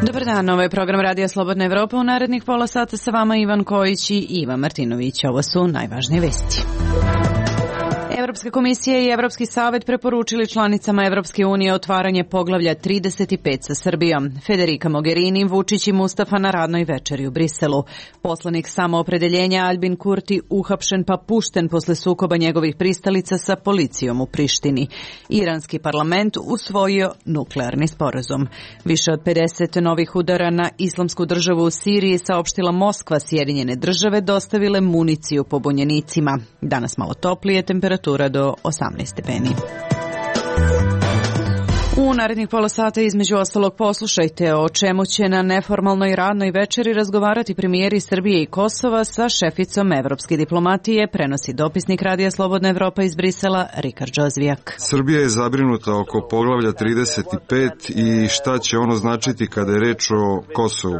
Dobar dan, ovo je program Radija Slobodna Evropa. U narednih pola sata sa vama Ivan Kojić i Ivan Martinović. Ovo su najvažnije vesti. Evropska komisija i Evropski savet preporučili članicama Evropske unije otvaranje poglavlja 35 sa Srbijom. Federica Mogherini, Vučić i Mustafa na radnoj večeri u Briselu. Poslanik samoopredeljenja Albin Kurti uhapšen pa pušten posle sukoba njegovih pristalica sa policijom u Prištini. Iranski parlament usvojio nuklearni sporazum. Više od 50 novih udara na islamsku državu u Siriji saopštila Moskva. Sjedinjene države dostavile municiju pobunjenicima. Danas malo toplije, temperatura do 18 stepeni. U narednih pola sata između ostalog poslušajte o čemu će na neformalnoj radnoj večeri razgovarati premijeri Srbije i Kosova sa šeficom evropske diplomatije, prenosi dopisnik Radija Slobodna Evropa iz Brisela Rikard Džozvijak. Srbija je zabrinuta oko poglavlja 35 i šta će ono značiti kada je reč o Kosovu.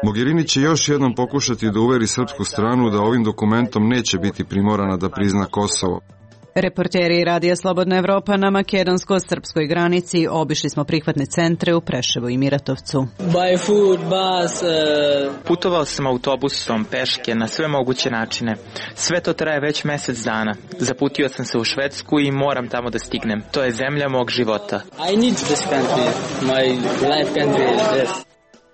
Mogherini će još jednom pokušati da uveri srpsku stranu da ovim dokumentom neće biti primorana da prizna Kosovo. Reporteri Radija Slobodna Evropa na makedonsko-srpskoj granici obišli smo prihvatne centre u Preševu i Miratovcu. Putovao sam autobusom, peške, na sve moguće načine. Sve to traje već mesec dana. Zaputio sam se u Švedsku i moram tamo da stignem. To je zemlja mog života. I need this country. My life country is this.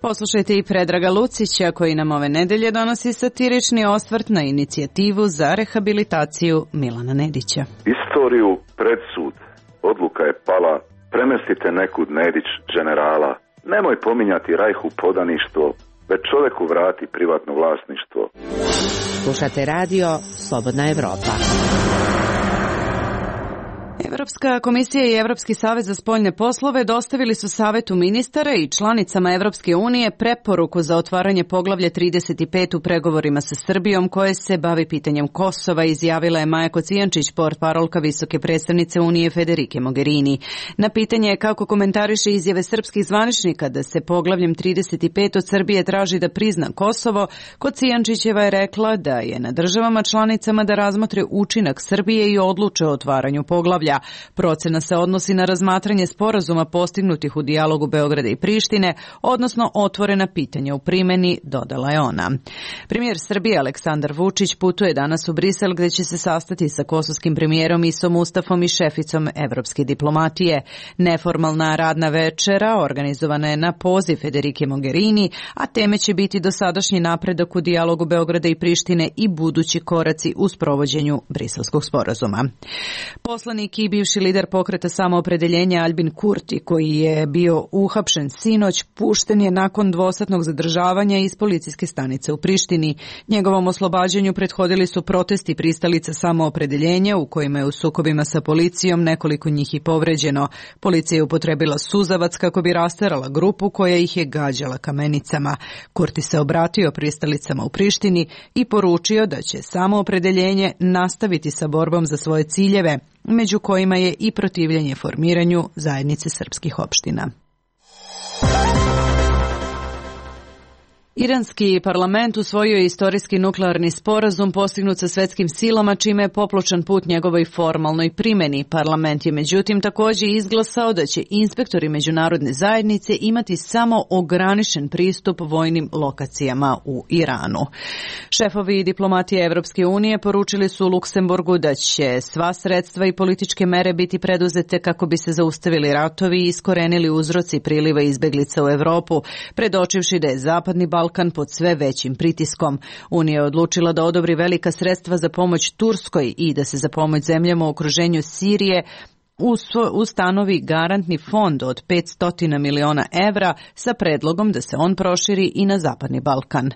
Poslušajte i Predraga Lucića koji nam ove nedelje donosi satirični osvrt na inicijativu za rehabilitaciju Milana Nedića. Istoriju pred sud. Odluka je pala. Premestite nekud Nedić generala. Nemoj pominjati Rajhu podaništvo, već čoveku vrati privatno vlasništvo. Slušate radio Slobodna Evropa. Evropska komisija i Evropski savet za spoljne poslove dostavili su Savetu ministara i članicama Evropske unije preporuku za otvaranje poglavlja 35 u pregovorima sa Srbijom koje se bavi pitanjem Kosova, izjavila je Maja Kocijančić, portparolka visoke predstavnice Unije Federike Mogherini. Na pitanje kako komentariše izjave srpskih zvaničnika da se poglavljem 35 od Srbije traži da prizna Kosovo, Kocijančićeva je rekla da je na državama članicama da razmotre učinak Srbije i odluče o otvaranju poglavlja. Procena se odnosi na razmatranje sporazuma postignutih u dijalogu Beograda i Prištine, odnosno otvorena pitanja u primjeni, dodala je ona. Premijer Srbije Aleksandar Vučić putuje danas u Brisel gdje će se sastati sa kosovskim premijerom Isom Mustafom i šeficom evropske diplomatije. Neformalna radna večera organizovana je na poziv Federike Mogherini, a teme će biti dosadašnji napredak u dijalogu Beograda i Prištine i budući koraci u sprovođenju briselskog sporazuma. Poslanik i bivši lider pokreta samoopredeljenja Albin Kurti, koji je bio uhapšen sinoć, pušten je nakon dvosatnog zadržavanja iz policijske stanice u Prištini. Njegovom oslobađanju prethodili su protesti pristalica samoopredeljenja u kojima je u sukobima sa policijom nekoliko njih i povređeno. Policija je upotrebila suzavac kako bi rasterala grupu koja ih je gađala kamenicama. Kurti se obratio pristalicama u Prištini i poručio da će samoopredeljenje nastaviti sa borbom za svoje ciljeve, među kojima je i protivljenje formiranju zajednice srpskih opština. Iranski parlament usvojio je istorijski nuklearni sporazum postignut sa svetskim silama, čime je popločan put njegovoj formalnoj primjeni. Parlament je međutim također izglasao da će inspektori međunarodne zajednice imati samo ograničen pristup vojnim lokacijama u Iranu. Šefovi diplomatije Evropske unije poručili su u Luksemburgu da će sva sredstva i političke mere biti preduzete kako bi se zaustavili ratovi i iskorenili uzroci priliva izbeglica u Evropu, predočivši da je Zapadni Balkan pod sve većim pritiskom. Unija je odlučila da odobri velika sredstva za pomoć Turskoj i da se za pomoć zemljama u okruženju Sirije ustanovi garantni fond od 500 miliona evra sa predlogom da se on proširi i na Zapadni Balkan.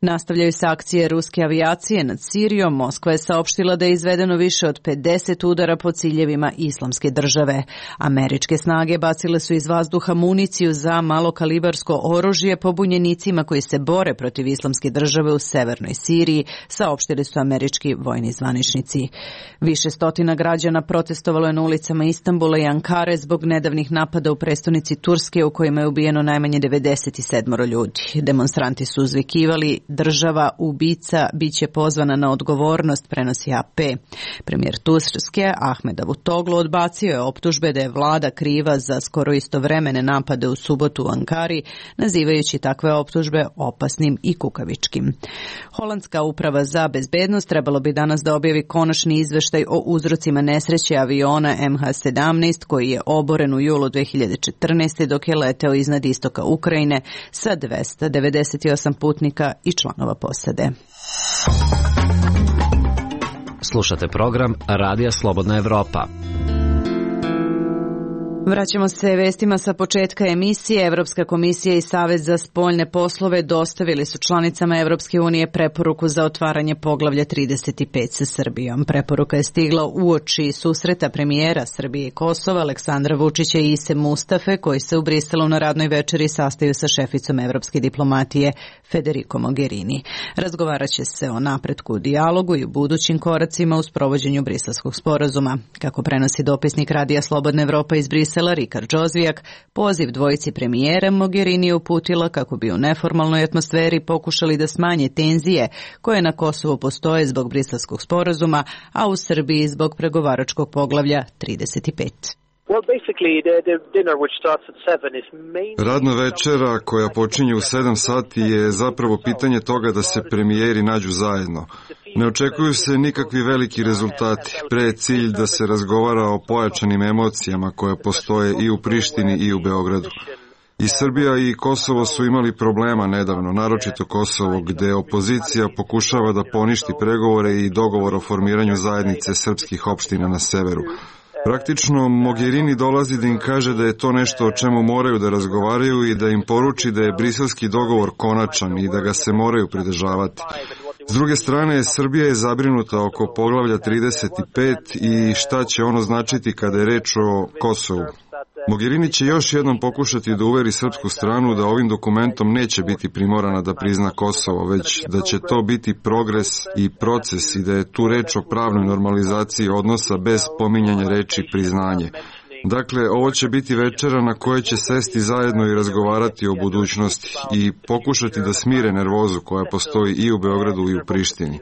Nastavljaju se akcije ruske avijacije nad Sirijom. Moskva je saopštila da je izvedeno više od 50 udara po ciljevima Islamske države. Američke snage bacile su iz vazduha municiju za malokalibarsko oružje pobunjenicima koji se bore protiv Islamske države u severnoj Siriji, saopštili su američki vojni zvaničnici. Više stotina građana protestovalo je na ulicama ulicama Istanbula i Ankare zbog nedavnih napada u prestonici Turske u kojima je ubijeno najmanje 97 ljudi. Demonstranti su uzvikivali: država ubica biće pozvana na odgovornost, prenosi AP. Premijer Turske Ahmed Davutoglu odbacio je optužbe da je vlada kriva za skoro istovremene napade u subotu u Ankari, nazivajući takve optužbe opasnim i kukavičkim. Holandska uprava za bezbednost trebalo bi danas da objavi konačni izveštaj o uzrocima nesreće aviona MH17 koji je oboren u julu 2014. dok je leteo iznad istoka Ukrajine sa 298 putnika i članova posade. Slušate program Radija Slobodna Evropa. Vraćamo se vestima sa početka emisije. Evropska komisija i Savet za spoljne poslove dostavili su članicama Evropske unije preporuku za otvaranje poglavlja 35 sa Srbijom. Preporuka je stigla uoči susreta premijera Srbije i Kosova Aleksandra Vučića i Ise Mustafe, koji se u Briselu na radnoj večeri sastaju sa šeficom evropske diplomatije Federico Mogherini. Razgovarat će se o napretku u dijalogu i u budućim koracima u sprovođenju Briselskog sporazuma. Kako prenosi dopisnik Radija Slobodna Evropa iz Brisela Rikard Džozvijak, poziv dvojici premijera Mogherini je uputila kako bi u neformalnoj atmosferi pokušali da smanje tenzije koje na Kosovu postoje zbog Briselskog sporazuma, a u Srbiji zbog pregovaračkog poglavlja 35. Radna večera koja počinje u 7 sati je zapravo pitanje toga da se premijeri nađu zajedno. Ne očekuju se nikakvi veliki rezultati, pre je cilj da se razgovara o pojačanim emocijama koje postoje i u Prištini i u Beogradu. I Srbija i Kosovo su imali problema nedavno, naročito Kosovo, gde opozicija pokušava da poništi pregovore i dogovor o formiranju zajednice srpskih opština na severu. Praktično, Mogherini dolazi da im kaže da je to nešto o čemu moraju da razgovaraju i da im poruči da je briselski dogovor konačan i da ga se moraju pridržavati. S druge strane, Srbija je zabrinuta oko poglavlja 35 i šta će ono značiti kada je reč o Kosovu. Mogherini će još jednom pokušati da uveri srpsku stranu da ovim dokumentom neće biti primorana da prizna Kosovo, već da će to biti progres i proces i da je tu reč o pravnoj normalizaciji odnosa bez pominjanja reči priznanje. Dakle, ovo će biti večera na kojoj će sesti zajedno i razgovarati o budućnosti i pokušati da smire nervozu koja postoji i u Beogradu i u Prištini.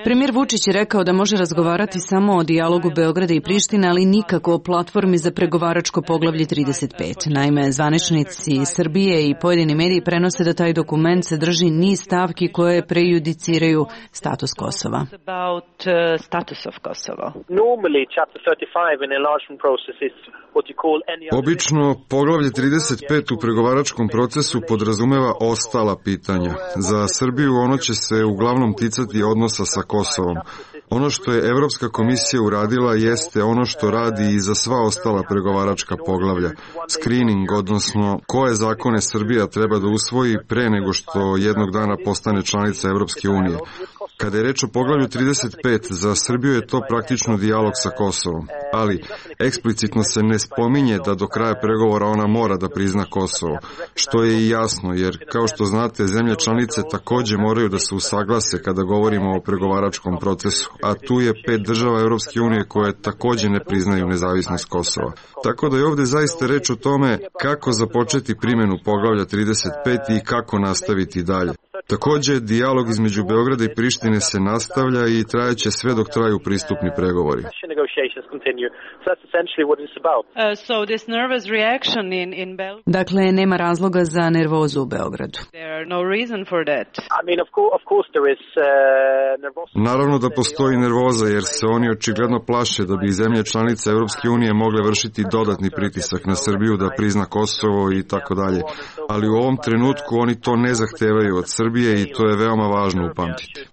Premijer Vučić je rekao da može razgovarati samo o dijalogu Beograda i Prištine, ali nikako o platformi za pregovaračko poglavlje 35. Naime, zvaničnici Srbije i pojedini mediji prenose da taj dokument sadrži niz stavki koje prejudiciraju status Kosova. Obično, poglavlje 35 u pregovaračkom procesu podrazumeva ostala pitanja. Za Srbiju ono će se uglavnom ticati odnosa sa Kosovom. Ono što je Evropska komisija uradila jeste ono što radi i za sva ostala pregovaračka poglavlja. Screening, odnosno koje zakone Srbija treba da usvoji pre nego što jednog dana postane članica Evropske unije. Kada je reč o poglavlju 35, za Srbiju je to praktično dijalog sa Kosovom, ali eksplicitno se ne spominje da do kraja pregovora ona mora da prizna Kosovo, što je i jasno, jer kao što znate, zemlje članice takođe moraju da se usaglase kada govorimo o pregovaračkom procesu, a tu je 5 država Evropske unije koje takođe ne priznaju nezavisnost Kosova. Tako da je ovde zaista reč o tome kako započeti primjenu poglavlja 35 i kako nastaviti dalje. Takođe, dijalog između Beograda i Prištine se nastavlja i trajaće sve dok traju pristupni pregovori. Dakle, nema razloga za nervozu u Beogradu. Naravno da postoji nervoza jer se oni očigledno plaše da bi zemlje članice Evropske unije mogle vršiti dodatni pritisak na Srbiju da prizna Kosovo i tako dalje. Ali u ovom trenutku oni to ne zahtevaju od Srbije i to je veoma važno upamtiti.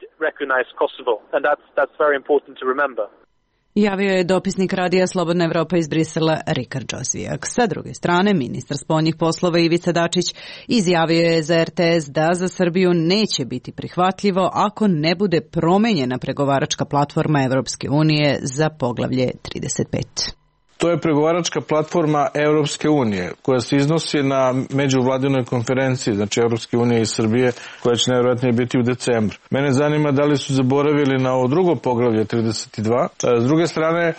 Javio je dopisnik Radija Slobodna Evropa iz Brisela Rikard Džozvijak. Sa druge strane, ministar spoljnih poslova Ivica Dačić izjavio je za RTS da za Srbiju neće biti prihvatljivo ako ne bude promenjena pregovaračka platforma Evropske unije za poglavlje 35. To je pregovaračka platforma Evropske unije koja se iznosi na međuvladinoj konferenciji, znači Evropske unije i Srbije, koja će najvjerojatnije biti u decembru. Mene zanima da li su zaboravili na ovo drugo poglavlje 32. S druge strane,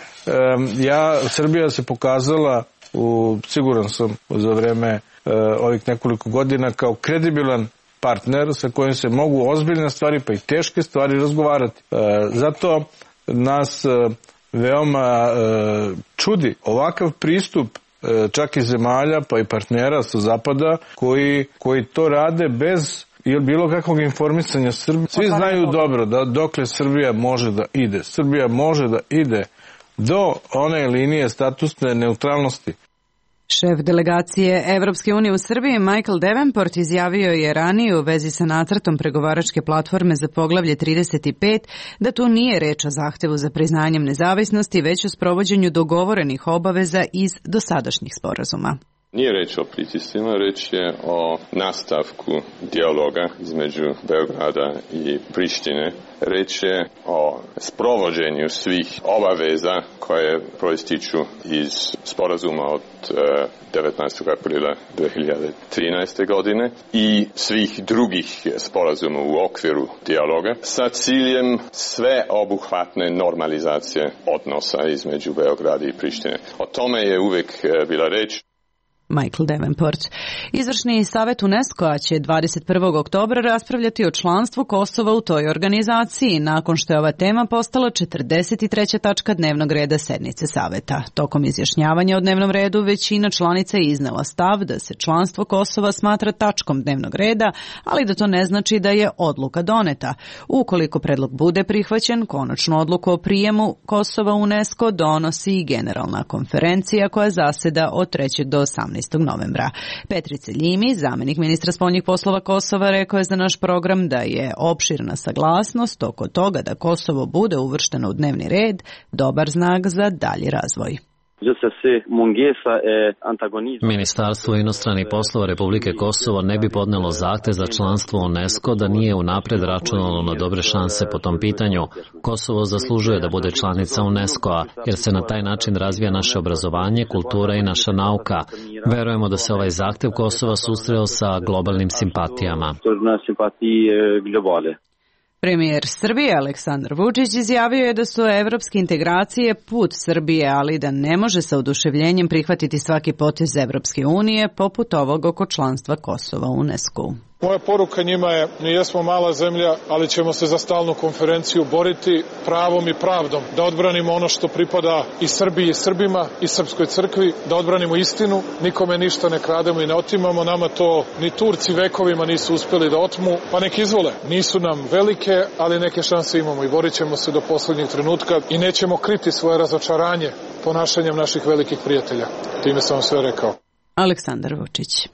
Srbija se pokazala, siguran sam za vreme ovih nekoliko godina, kao kredibilan partner sa kojim se mogu ozbiljne stvari pa i teške stvari razgovarati. Zato nas veoma čudi ovakav pristup čak i zemalja pa i partnera sa zapada koji to rade bez bilo kakvog informisanja Srbije. Svi znaju dobro da dokle Srbija može da ide. Srbija može da ide do one linije statusne neutralnosti. Šef delegacije Evropske unije u Srbiji Michael Davenport izjavio je ranije u vezi sa nacrtom pregovaračke platforme za poglavlje 35 da tu nije reč o zahtevu za priznanjem nezavisnosti, već o sprovođenju dogovorenih obaveza iz dosadašnjih sporazuma. Nije reč o pritiscima, reč je o nastavku dijaloga između Beograda i Prištine. Reč je o sprovođenju svih obaveza koje proističu iz sporazuma od 19. aprila 2013. godine i svih drugih sporazuma u okviru dijaloga sa ciljem sveobuhvatne normalizacije odnosa između Beograda i Prištine. O tome je uvek bila reč. Michael Davenport. Izvršni savjet UNESCO-a će 21. oktobra raspravljati o članstvu Kosova u toj organizaciji, nakon što je ova tema postala 43. tačka dnevnog reda sednice saveta. Tokom izjašnjavanja o dnevnom redu većina članica je iznela stav da se članstvo Kosova smatra tačkom dnevnog reda, ali da to ne znači da je odluka doneta. Ukoliko predlog bude prihvaćen, konačnu odluku o prijemu Kosova u UNESCO donosi i Generalna konferencija koja zaseda od 3. do 18. novembra. Petrice Ljimi, zamenik ministra spoljnih poslova Kosova, rekao je za naš program da je opširna saglasnost oko toga da Kosovo bude uvršteno u dnevni red dobar znak za dalji razvoj. Ministarstvo inostranih poslova Republike Kosovo ne bi podnelo zahtev za članstvo u UNESCO da nije unapred računalo na dobre šanse po tom pitanju. Kosovo zaslužuje da bude članica UNESCO-a, jer se na taj način razvija naše obrazovanje, kultura i naša nauka. Verujemo da se ovaj zahtev Kosova susreo sa globalnim simpatijama. Premijer Srbije Aleksandar Vučić izjavio je da su evropske integracije put Srbije, ali da ne može sa oduševljenjem prihvatiti svaki potez Evropske unije, poput ovog oko članstva Kosova u UNESCO-u. Moja poruka njima je, mi jesmo mala zemlja, ali ćemo se za stalnu konferenciju boriti pravom i pravdom, da odbranimo ono što pripada i Srbiji i Srbima i Srpskoj crkvi, da odbranimo istinu, nikome ništa ne krademo i ne otimamo, nama to ni Turci vekovima nisu uspeli da otmu, pa nek izvole. Nisu nam velike, ali neke šanse imamo i borit ćemo se do poslednjeg trenutka i nećemo kriti svoje razočaranje ponašanjem naših velikih prijatelja. Time sam vam sve rekao. Aleksandar Vučić.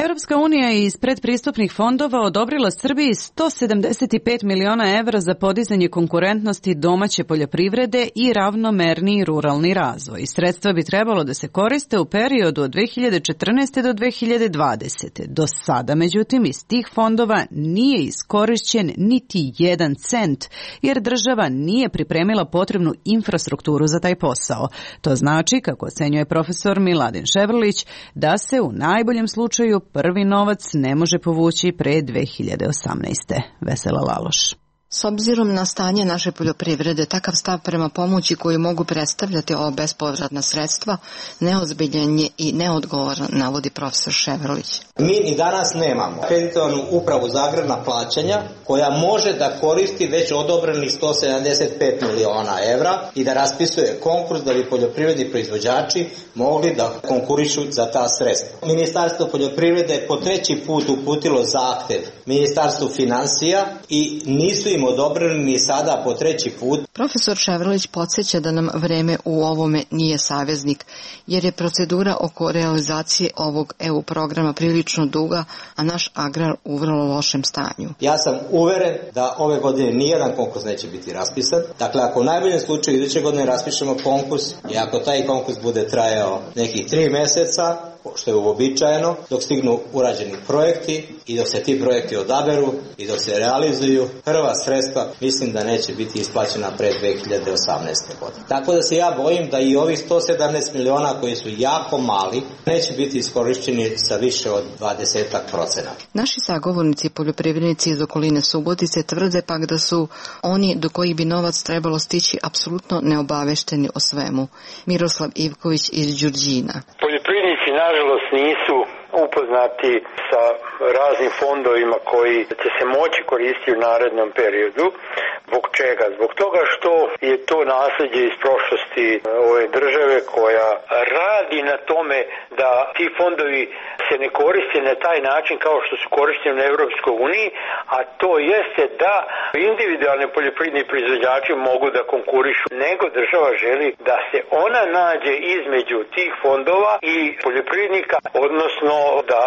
Evropska unija je iz predpristupnih fondova odobrila Srbiji 175 miliona evra za podizanje konkurentnosti domaće poljoprivrede i ravnomerniji ruralni razvoj. Sredstva bi trebalo da se koriste u periodu od 2014. do 2020. Do sada, međutim, iz tih fondova nije iskorišćen niti 1 cent, jer država nije pripremila potrebnu infrastrukturu za taj posao. To znači, kako ocenjuje profesor Miladin Ševrlić, da se u najboljem slučaju prvi novac ne može povući pre 2018. Vesela Laloš. S obzirom na stanje naše poljoprivrede, takav stav prema pomoći koju mogu predstavljati ova bespovratna sredstva neozbiljan je i neodgovoran, navodi profesor Ševrlić. Mi i danas nemamo kreditovanu upravu za agrarna plaćanja koja može da koristi već odobrenih 175 miliona evra i da raspisuje konkurs da bi poljoprivredni proizvođači mogli da konkurišu za ta sredstva. Ministarstvo poljoprivrede je po 3. put uputilo zahtev Ministarstvu finansija i nisu im odobreni ni sada po 3. put. Profesor Ševrlić podsjeća da nam vreme u ovome nije saveznik, jer je procedura oko realizacije ovog EU programa prilično duga, a naš agrar u vrlo lošem stanju. Ja sam uveren da ove godine nijedan konkurs neće biti raspisan. Dakle, ako u najboljem slučaju iduće godine raspišemo konkurs i ako taj konkurs bude trajao nekih 3 meseca, što je uobičajeno, dok stignu urađeni projekti i dok se ti projekti odaberu i dok se realizuju, prva sredstva mislim da neće biti isplaćena pre 2018. godine. Tako da se ja bojim da i ovih 117 miliona koji su jako mali neće biti iskorišćeni sa više od 20%. Naši sagovornici poljoprivrednici iz okoline Subotice tvrde pak da su oni do kojih bi novac trebalo stići apsolutno neobavešteni o svemu. Miroslav Ivković iz Đurđina. Poljoprivrednici nažalost nisu upoznati sa raznim fondovima koji će se moći koristiti u narednom periodu. Zbog čega? Zbog toga što je to nasljeđe iz prošlosti ove države koja radi na tome da ti fondovi se ne koriste na taj način kao što su korišteni u Evropskoj uniji, a to jeste da individualni poljoprivredni proizvođači mogu da konkurišu, nego država želi da se ona nađe između tih fondova i poljoprivrednika, odnosno da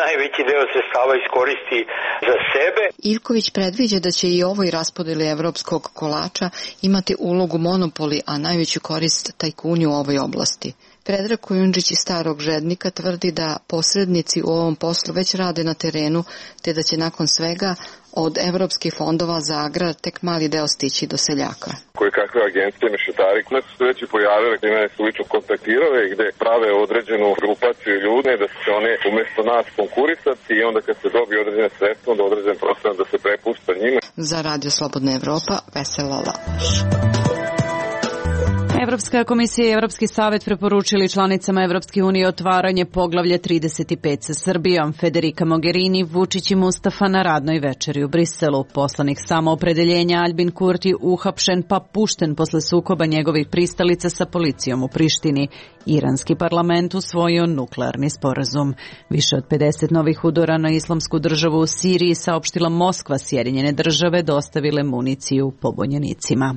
najveći deo sredstava iskoristi za sebe. Ivković predviđa da će i ovoj raspodeli evropskog kolača imati ulogu monopoli, a najveću korist tajkuni u ovoj oblasti. Predrag Kujundžić iz Starog Žednika tvrdi da posrednici u ovom poslu već rade na terenu, te da će nakon svega od evropskih fondova za agrar tek mali deo stići do seljaka. Koje kakve agencije, mešetari, koje su se već i pojavile, gdje nas su lično kontaktirale i gdje prave određenu grupaciju ljude, da će one umjesto nas konkurisati i onda kad se dobije određene sredstva, onda određen procenat da se prepušta njima. Za Radio Slobodna Evropa, Vesela Laloš. Evropska komisija i Evropski savet preporučili članicama Evropske unije otvaranje poglavlja 35 sa Srbijom. Federica Mogherini, Vučić i Mustafa na radnoj večeri u Briselu. Poslanik samoopredeljenja Albin Kurti uhapšen pa pušten posle sukoba njegovih pristalica sa policijom u Prištini. Iranski parlament usvojio nuklearni sporazum. Više od 50 novih udara na islamsku državu u Siriji saopštila Moskva. Sjedinjene države dostavile municiju pobunjenicima.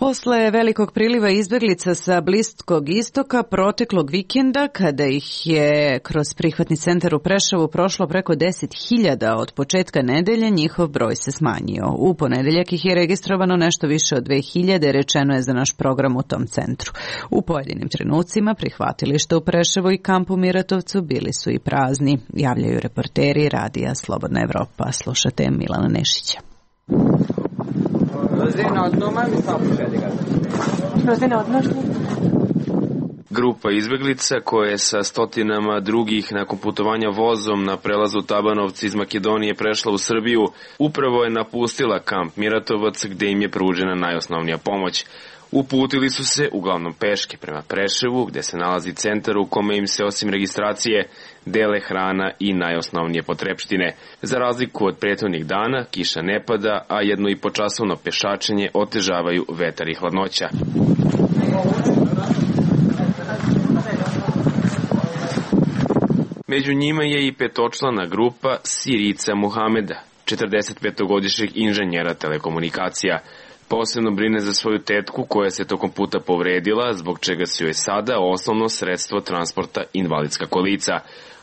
Posle velikog priliva izbjeglica sa Bliskog istoka proteklog vikenda, kada ih je kroz prihvatni centar u Preševu prošlo preko 10.000 od početka nedelje, njihov broj se smanjio. U ponedeljak ih je registrovano nešto više od 2.000, rečeno je za naš program u tom centru. U pojedinim trenucima prihvatilišta u Preševu i kampu Miratovcu bili su i prazni, javljaju reporteri radija Slobodna Evropa. Slušate Milana Nešića. Grupa izbeglica koja je sa stotinama drugih nakon putovanja vozom na prelazu Tabanovci iz Makedonije prešla u Srbiju, upravo je napustila kamp Miratovac gde im je pružena najosnovnija pomoć. Uputili su se uglavnom peške prema Preševu, gde se nalazi centar u kome im se osim registracije dele hrana i najosnovnije potrepštine. Za razliku od prethodnih dana, kiša ne pada, a 1,5-časovno pešačenje otežavaju vetar i hladnoća. Među njima je i petočlana grupa Sirica Muhameda, 45-godišnjeg inženjera telekomunikacija. Posebno brine za svoju tetku koja se tokom puta povredila, zbog čega se joj sada osnovno sredstvo transporta invalidska kolica.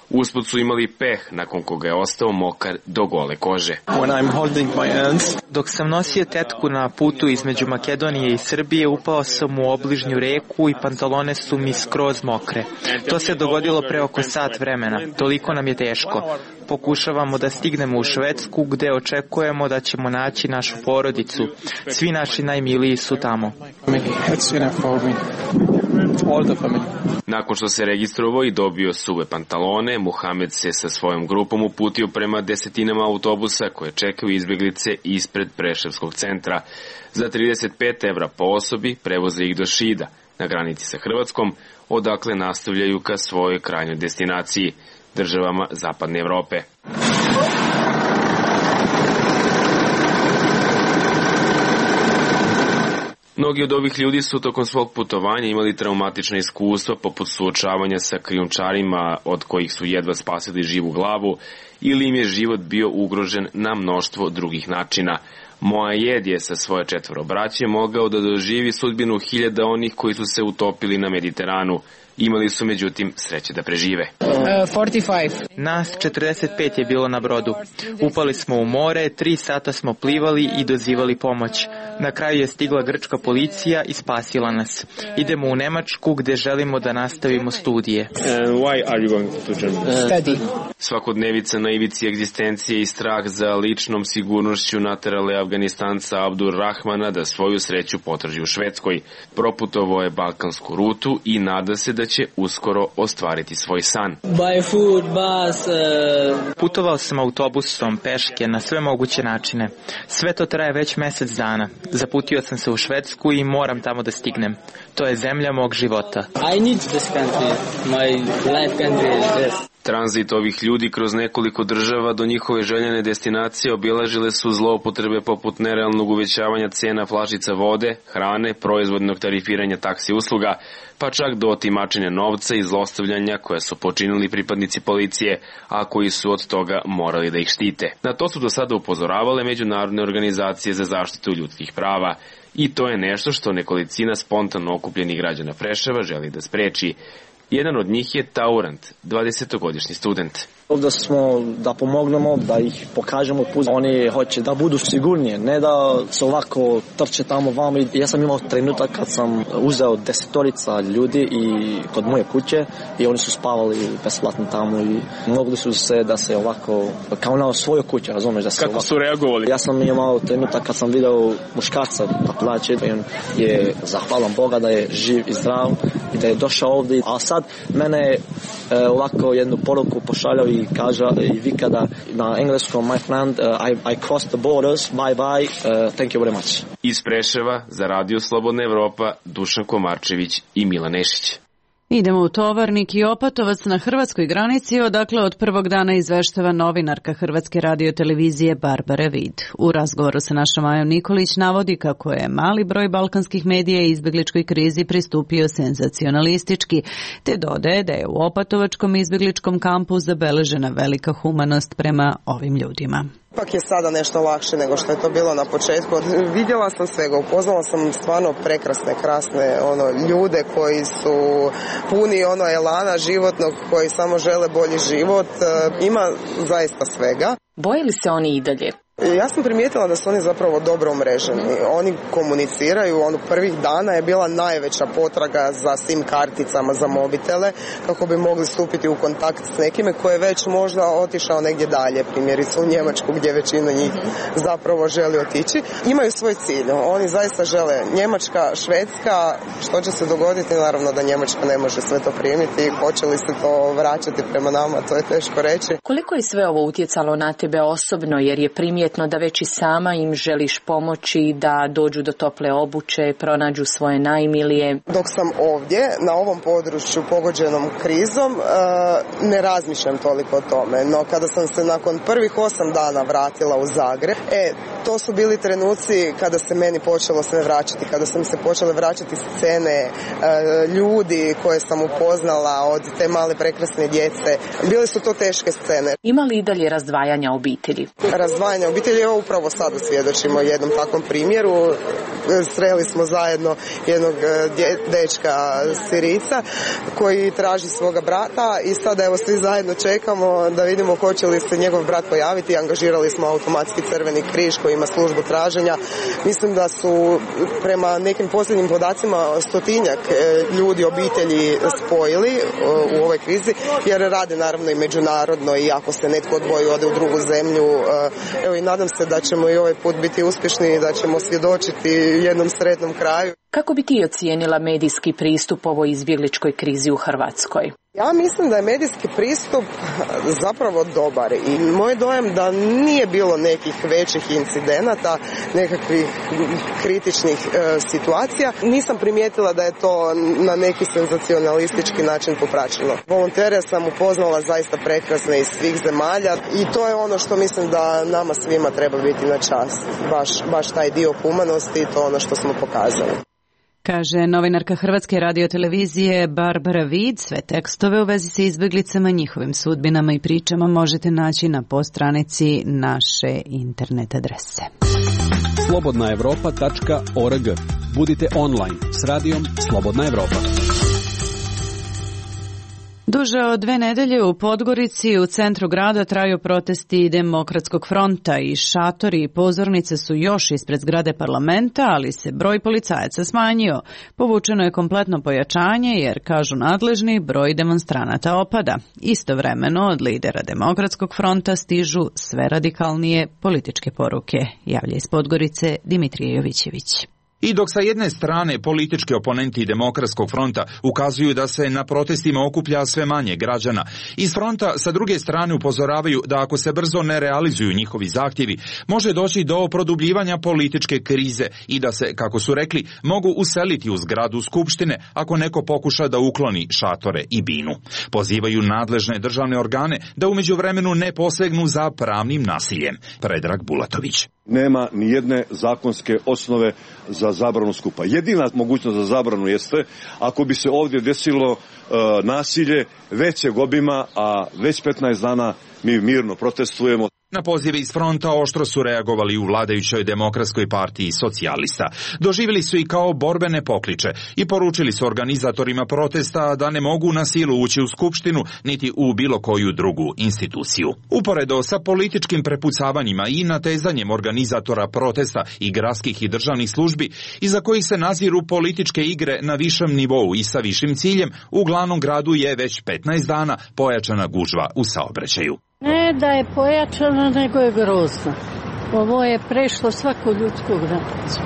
Usput su imali peh, nakon koga je ostao mokar do gole kože. Dok sam nosio tetku na putu između Makedonije i Srbije, upao sam u obližnju reku i pantalone su mi skroz mokre. To se dogodilo pre oko sat vremena. Toliko nam je teško. Pokušavamo da stignemo u Švedsku, gde očekujemo da ćemo naći našu porodicu. Svi naši najmiliji su tamo. Nakon što se registrovao i dobio suve pantalone, Muhamed se sa svojom grupom uputio prema desetinama autobusa koje čekaju izbjeglice ispred Preševskog centra. Za 35 evra po osobi prevoze ih do Šida, na granici sa Hrvatskom, odakle nastavljaju ka svojoj krajnjoj destinaciji, državama Zapadne Evrope. Mnogi od ovih ljudi su tokom svog putovanja imali traumatične iskustva poput suočavanja sa krijumčarima od kojih su jedva spasili živu glavu ili im je život bio ugrožen na mnoštvo drugih načina. Moaed je sa svoje 4 braće mogao da doživi sudbinu 1000 onih koji su se utopili na Mediteranu. Imali su međutim sreće da prežive. 45. Nas 45 je bilo na brodu. Upali smo u more, 3 sata smo plivali i dozivali pomoć. Na kraju je stigla grčka policija i spasila nas. Idemo u Nemačku gde želimo da nastavimo studije. Svakodnevica na ivici egzistencije i strah za ličnom sigurnošću naterale Afganistanca Abdur Rahmana da svoju sreću potraži u Švedskoj. Proputovao je balkansku rutu i nada se da će uskoro ostvariti svoj san. Putovao sam autobusom, peške, na sve moguće načine. Sve to traje već mesec dana. Zaputio sam se u Švedsku i moram tamo da stignem. To je zemlja mog života. I need this country. My life country is this. Tranzit ovih ljudi kroz nekoliko država do njihove željene destinacije obilažile su zloupotrebe poput nerealnog uvećavanja cena flašica vode, hrane, proizvodnog tarifiranja taksi usluga, pa čak do otimačenja novca i zlostavljanja koje su počinili pripadnici policije, a koji su od toga morali da ih štite. Na to su do sada upozoravale međunarodne organizacije za zaštitu ljudskih prava. I to je nešto što nekolicina spontano okupljenih građana Preševa želi da spreči. Jedan od njih je Taurant, 20-godišnji student. Ovdje smo da pomognemo, da ih pokažemo put. Oni hoće da budu sigurnije, ne da se ovako trče tamo vamo. Ja sam imao trenutak kad sam uzeo 10 ljudi i kod moje kuće i oni su spavali besplatno tamo i mogli su se da se ovako, kao na svojoj kući, razumeš? Da se kako ovako, su reagovali? Ja sam imao trenutak kad sam video muškarca da plaće i on je zahvalan Boga da je živ i zdrav i da je došao ovdje. A sad mene ovako jednu poruku pošaljao i kaže i vika da na engleskom my friend I crossed the borders, bye bye, thank you very much. Iz Preševa za Radio Slobodna Evropa Dušan Komarčević i Milan Nešić. Idemo u Tovarnik i Opatovac na hrvatskoj granici, odakle od prvog dana izveštava novinarka Hrvatske radiotelevizije Barbara Vid. U razgovoru sa našom Majom Nikolić navodi kako je mali broj balkanskih medija izbjegličkoj krizi pristupio senzacionalistički, te dodaje da je u Opatovačkom izbjegličkom kampu zabeležena velika humanost prema ovim ljudima. Ipak je sada nešto lakše nego što je to bilo na početku. Vidjela sam svega, upoznala sam stvarno prekrasne, krasne ljude koji su puni elana životnog, koji samo žele bolji život. Ima zaista svega. Boje li se oni i dalje? Ja sam primijetila da su oni zapravo dobro umreženi. Oni komuniciraju, prvih dana je bila najveća potraga za SIM karticama za mobitele kako bi mogli stupiti u kontakt s nekime koji je već možda otišao negdje dalje, primjerice u Njemačku gdje većina njih zapravo želi otići. Imaju svoj cilj, oni zaista žele Njemačka, Švedska, što će se dogoditi, naravno da Njemačka ne može sve to primiti, hoće li se to vraćati prema nama, to je teško reći. Koliko je sve ovo utjecalo na tebe osobno, jer je primjetno da već i sama im želiš pomoći, da dođu do tople obuće, pronađu svoje najmilije? Dok sam ovdje, na ovom području pogođenom krizom, ne razmišljam toliko o tome. No kada sam se nakon prvih 8 dana vratila u Zagreb, to su bili trenuci kada se meni počelo sve vraćati, kada sam se počele vraćati scene, ljudi koje sam upoznala, od te male prekrasne djece. Bile su to teške scene. Ima li i dalje razdvajanja obitelji? Razdvajanja obitelji, evo upravo sada svjedočimo jednom takvom primjeru. Sreli smo zajedno jednog dečka Sirica koji traži svoga brata i sada evo svi zajedno čekamo da vidimo hoće li se njegov brat pojaviti. Angažirali smo automatski Crveni križ koji ima službu traženja. Mislim da su prema nekim posljednjim podacima 100-tinjak ljudi, obitelji spojili u ovoj krizi, jer rade naravno i međunarodno i ako se netko odvoji ode u drugu zemlju. Evo i nadam se da ćemo i ovaj put biti uspješni i da ćemo svjedočiti jednom sretnom kraju. Kako bi ti ocijenila medijski pristup ovoj izbjegličkoj krizi u Hrvatskoj? Ja mislim da je medijski pristup zapravo dobar i moj dojam da nije bilo nekih većih incidenata, nekakvih kritičnih situacija. Nisam primijetila da je to na neki senzacionalistički način popraćeno. Volontere sam upoznala zaista prekrasne iz svih zemalja i to je ono što mislim da nama svima treba biti na čast. Baš taj dio humanosti i to ono što smo pokazali. Kaže novinarka Hrvatske radiotelevizije Barbara Vid. Sve tekstove u vezi sa izbjeglicama, njihovim sudbinama i pričama možete naći na postranici naše internet adrese. Duže od 2 nedelje u Podgorici u centru grada traju protesti Demokratskog fronta i šatori i pozornice su još ispred zgrade parlamenta, ali se broj policajaca smanjio. Povučeno je kompletno pojačanje jer, kažu nadležni, broj demonstranata opada. Istovremeno od lidera Demokratskog fronta stižu sve radikalnije političke poruke. Javlja iz Podgorice Dimitrije Jovićević. I dok sa jedne strane politički oponenti Demokratskog fronta ukazuju da se na protestima okuplja sve manje građana, iz fronta sa druge strane upozoravaju da ako se brzo ne realizuju njihovi zahtjevi, može doći do produbljivanja političke krize i da se, kako su rekli, mogu useliti u zgradu Skupštine ako neko pokuša da ukloni šatore i binu. Pozivaju nadležne državne organe da u međuvremenu ne posegnu za pravnim nasiljem. Predrag Bulatović. Nema ni jedne zakonske osnove za zabranu skupa. Jedina mogućnost za zabranu jeste ako bi se ovdje desilo nasilje većeg obima, a već 15 dana mi mirno protestujemo. Na pozive iz fronta oštro su reagovali u vladajućoj Demokratskoj partiji socijalista. Doživjeli su i kao borbene pokliče i poručili su organizatorima protesta da ne mogu na silu ući u Skupštinu niti u bilo koju drugu instituciju. Uporedo sa političkim prepucavanjima i natezanjem organizatora protesta i gradskih i državnih službi, iza kojih se naziru političke igre na višem nivou i sa višim ciljem, u glavnom gradu je već 15 dana pojačana gužva u saobraćaju. Ne da je pojačano, nego je grozno. Ovo je prešlo svaku ljudsku granicu.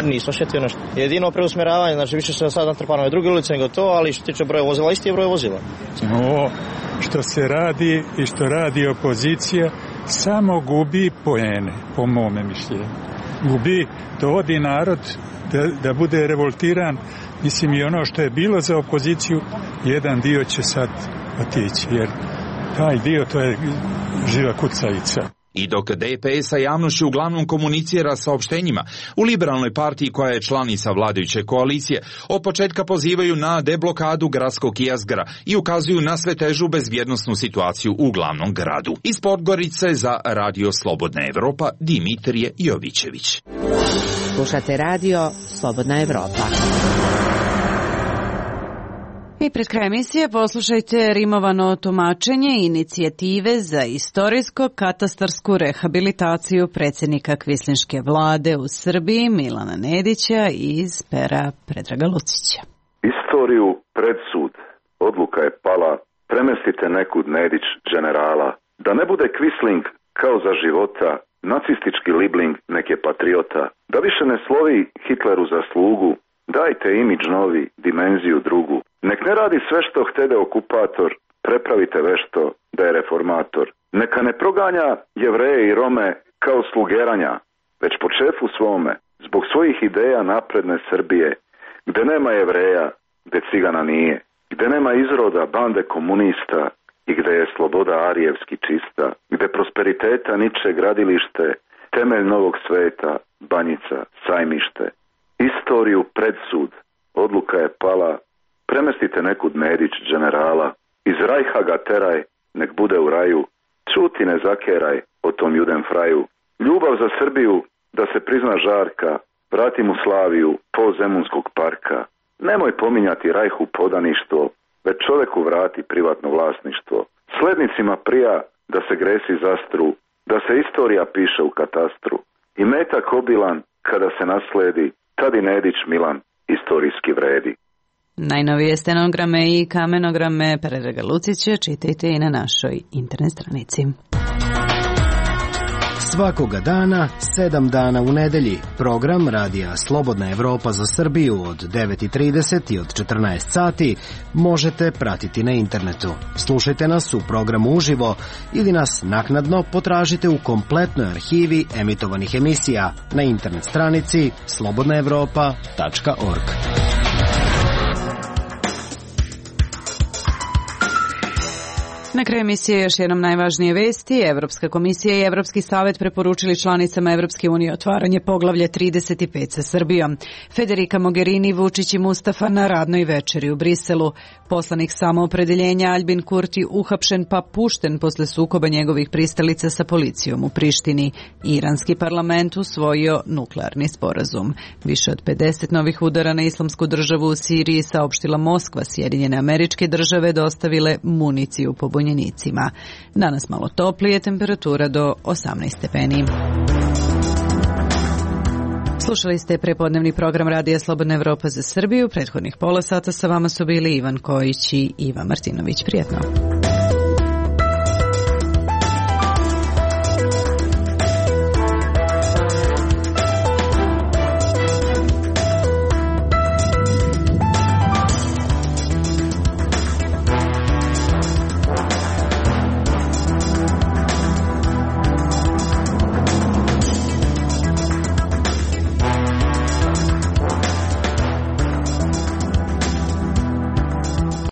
Nismo šetio nešto. Jedino preusmjeravanje, znači više se sad natrpano je druge ulice nego to, ali što tiče broja vozila, isti je broj vozila. Ovo što se radi i što radi opozicija samo gubi poene, po mome mišljenju. Gubi, dovodi narod da bude revoltiran. Mislim, i ono što je bilo za opoziciju, jedan dio će sad otići, jer taj dio, to je živa kucavica. I dok DPS sa javnošću uglavnom komunicira saopštenjima, u Liberalnoj partiji koja je članica vladajuće koalicije od početka pozivaju na deblokadu gradskog jezgra i ukazuju na sve težu bezbjednosnu situaciju u glavnom gradu. Iz Podgorice za Radio Slobodna Evropa Dimitrije Jovićević. Slušate Radio Slobodna Evropa. I pred kraj emisije poslušajte rimovano tumačenje inicijative za istorijsko-katastarsku rehabilitaciju predsjednika kvislinške vlade u Srbiji Milana Nedića iz pera Predraga Lucića. Istoriju pred sud. Odluka je pala. Premestite nekud Nedić generala. Da ne bude Kvisling kao za života, nacistički libling neke patriota. Da više ne slovi Hitleru za slugu. Dajte imidž novi, dimenziju drugu. Nek ne radi sve što htede okupator, prepravite vešto da je reformator. Neka ne proganja Jevreje i Rome kao slugeranja, već po šefu svome, zbog svojih ideja napredne Srbije, gde nema Jevreja, gde cigana nije, gde nema izroda bande komunista i gde je sloboda arijevski čista, gde prosperiteta niče gradilište, temelj novog sveta, Banjica, Sajmište. Istoriju pred sud. Odluka je pala. Premestite nekud Nedić generala. Iz Rajha ga teraj, nek bude u raju. Čuti ne zakeraj o tom juden fraju. Ljubav za Srbiju, da se prizna žarka. Vrati mu Slaviju, po Zemunskog parka. Nemoj pominjati Rajhu podaništvo, već čoveku vrati privatno vlasništvo. Slednicima prija da se gresi zastru, da se istorija piše u katastru. I metak obilan, kada se nasledi, tad i Nedić Milan istorijski vredi. Najnovije stenograme i kamenograme Predraga Lucića čitajte i na našoj internet stranici. Svakoga dana, 7 dana u nedelji, program Radija Slobodna Evropa za Srbiju od 9:30 i od 14 sati možete pratiti na internetu. Slušajte nas u programu uživo ili nas naknadno potražite u kompletnoj arhivi emitovanih emisija na internet stranici slobodnaevropa.org. Na kraju emisije još jednom najvažnije vesti. Evropska komisija i Evropski savet preporučili članicama Evropske unije otvaranje poglavlja 35 sa Srbijom. Federica Mogherini, Vučić i Mustafa na radnoj večeri u Briselu. Poslanik samoopredeljenja Albin Kurti uhapšen pa pušten posle sukoba njegovih pristalica sa policijom u Prištini. Iranski parlament usvojio nuklearni sporazum. Više od 50 novih udara na islamsku državu u Siriji saopštila Moskva. Sjedinjene Američke Države dostavile municiju pobunjenicima. Danas malo toplije, temperatura do 18 stepeni. Slušali ste prepodnevni program Radija Slobodna Evropa za Srbiju. Prethodnih pola sata sa vama su bili Ivan Kojić i Iva Martinović. Prijetno.